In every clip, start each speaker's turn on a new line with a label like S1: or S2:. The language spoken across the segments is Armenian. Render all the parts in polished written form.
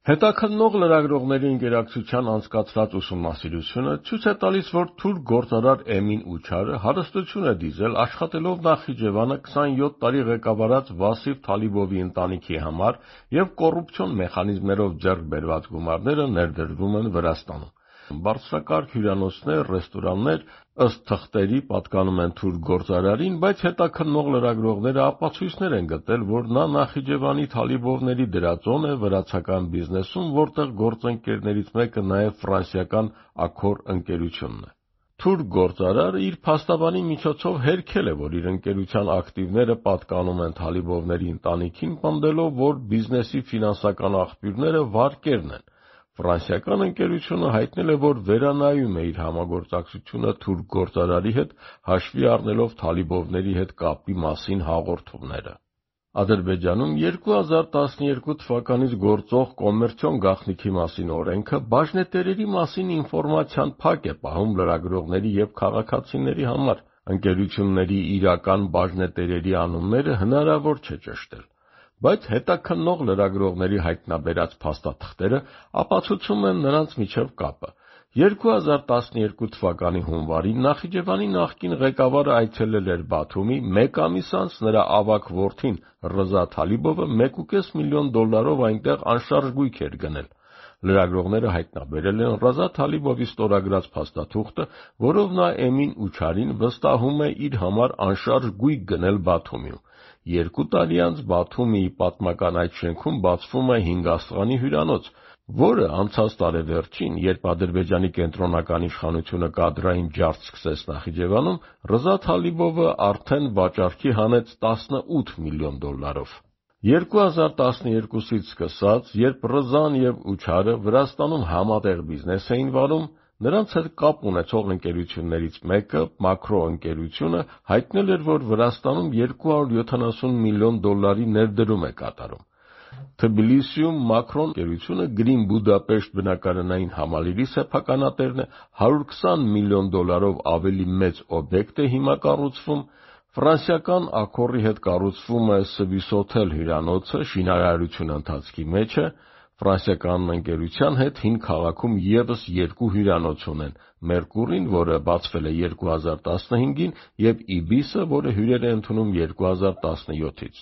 S1: Հետաքննող լրագրողների ընկերակցության անցկացրած ուսումնասիրությունը ցույց է տալիս, որ թուրք գործարար Էմին Ուչարը հարստություն է դիզել աշխատելով Նախիջևանը 27 տարի ղեկավարած Վասիֆ Թալիբովի ընտանիքի համար և կոռուպցիոն մեխանիզմներով ձեռք բերված գումարները ներդրվում են Վրաստանում։ Բարձրակարգ հյուրանոցներ, ռեստորաններ, ըստ թղթերի, պատկանում են թուրք գործարարին, բայց հետաքննող լրագրողները ապացույցներ են գտել, որ նա Նախիջևանի Թալիբովների դրածոն է վրացական բիզնեսում, որտեղ գործընկերներից մեկը նաև ֆրանսիական Աքոր ընկերությունն է։ Թուրք գործարարը իր փաստաբանի միջոցով հերքել է, որ իր ընկերության ակտիվները պատկանում են Թալիբովների ընտանիքին, պնդելով, որ բիզնեսի ֆինանսական աղբյուրները վարկերն են։ Ֆրանսիական ընկերությունը հայտնել է, որ վերանայում է իր համագործակցությունը թուրք գործարարի հետ, հաշվի առնելով Թալիբովների հետ կապի մասին հաղորդումները։ Ադրբեջանում 2012 թվականից գործող կոմերցիոն գաղտնիքի մասին օրենքը բաժնետերերի մասին ինֆորմացիան փակ է պահում լրագրողների և քաղաքացիների համար։ Ընկերությունների իրական բաժնետերերի անունները հնարավոր չէ ճշտել։ Բայց հետաքննող լրագրողների հայտնաբերած փաստաթղթերը ապացուցում են նրանց միջև կապը։ 2012 թվականի հունվարին Նախիջևանի նախկին ղեկավարը այցելել էր Բաթումի, մեկ ամիս անց նրա ավագ որդին Ռզա Թալիբովը $1.5 միլիոն այնտեղ անշարժ գույք էր գնել։ Լրագրողները հայտնաբերել են Ռզա Թալիբովի ստորագրած փաստաթուղթը, որով նա Էմին Ուչարին վստահում է իր համար անշարժ գույք գնել Բաթումիում։ 2 տարի անց Բաթումիի պատմական այդ շենքում բացվում է 5 աստղանի հյուրանոց, որը անցած տարեվերջին, երբ Ադրբեջանի կենտրոնական իշխանությունը կադրային ջարդ սկսեց Նախիջևանում, Ռզա Թալիբովը արդեն վաճառքի հանեց $18 միլիոն։ 2012-ից սկսած, երբ Ռզան և Ուչարը Վրաստանում համատեղ բիզնես էին վարում, նրանց հետ կապ ունեցող ընկերություններից մեկը, Մակրո ընկերությունը, հայտնել էր, որ Վրաստանում $270 միլիոն ներդրում է կատարում։ Թբիլիսիում Մակրոն ընկերությունը Գրին Բուդապեշտ բնակարանային համալիրի սեփականատերն է, $120 միլիոն ավելի մեծ օբյեկտ է հիմա կառուցվում։ Ֆրանսիական Աքորի հետ կառուցվում է Սվիսոթել հյուրանոցը, շինարարությունը ընթացքի մեջ է։ Ֆրանսիական ընկերության հետ Հին քաղաքում ևս 2 հյուրանոց ունեն՝ Մերկուրին, որը բացվել է 2015-ին, և Իբիսը, որը հյուրեր է ընդունում 2017-ից։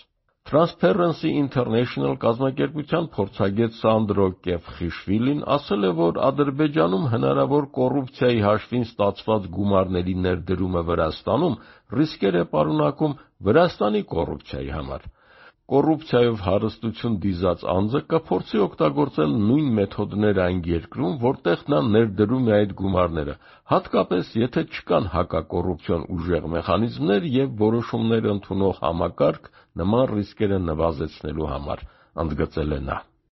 S1: Transparency International կազմակերպության փորձագետ Սանդրո Կեֆխիշվիլին ասել է, որ Ադրբեջանում հնարավոր կոռուպցիայի հաշվին ստացված գումարների ներդրումը Վրաստանում ռիսկեր է պարունակում Վրաստանի կոռուպցիայի համար։ Կոռուպցիայով հարստություն դիզած անձը կփորձի օգտագործել նույն մեթոդները այն երկրում, որտեղ նա ներդրում է այդ գումարները, հատկապես եթե չկան հակակոռուպցիոն ուժեղ մեխանիզմներ և որոշումներ ընդունող համակարգ նման ռիսկերը նվազեցնելու համար, ընդգծել է նա։